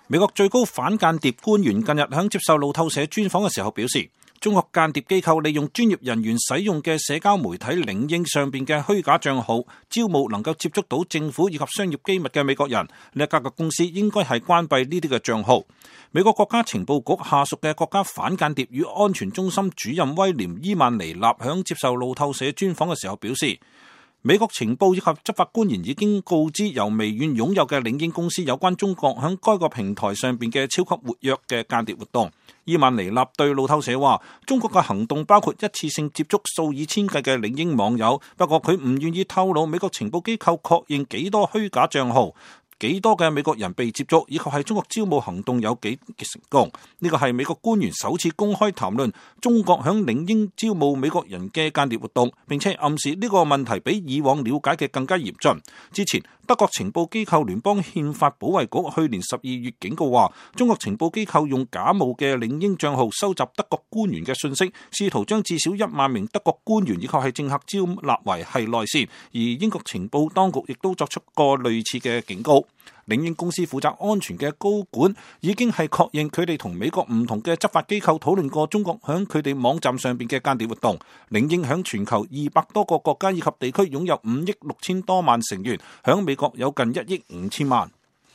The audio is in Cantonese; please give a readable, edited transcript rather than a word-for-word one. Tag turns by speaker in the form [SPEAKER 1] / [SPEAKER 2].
[SPEAKER 1] 美國最高反間諜官員近日喺接受路透社專訪嘅時候表示，中國間諜機構利用專業人員使用嘅社交媒體領英上邊嘅虛假賬號，招募能夠接觸到政府以及商業機密嘅美國人。呢一家嘅公司應該係關閉呢啲嘅賬號。美國國家情報局下屬嘅國家反間諜與安全中心主任威廉伊曼尼納響接受路透社專訪嘅時候表示，美國情報以及執法官員已經告知由微軟擁有嘅領英公司有關中國響該個平台上邊嘅超級活躍嘅間諜活動。伊曼尼納對路透社話，中國嘅行動包括一次性接觸數以千計嘅領英網友，不過佢唔願意透露美國情報機構確認幾多虛假賬號，幾多嘅美國人被接觸，以及係中國招募行動有幾成功。呢個係美國官員首次公開談論中國響領英招募美國人嘅間諜活動，並且暗示呢個問題比以往了解嘅更加嚴峻。之前德國情報機構聯邦憲法保衛局去年12月警告話，中國情報機構用假冒嘅領英賬號收集德國官員嘅信息，試圖將至少1萬名德國官員以及係政客招納為係內線。而英國情報當局亦都作出過類似嘅警告。領英公司負責安全嘅高管已經係確認佢哋同美國唔同嘅執法機構討論過中國響佢哋網站上邊嘅間諜活動。領英響全球200多個國家以及地區擁有5億6千多萬成員，響美國有近1億5千萬。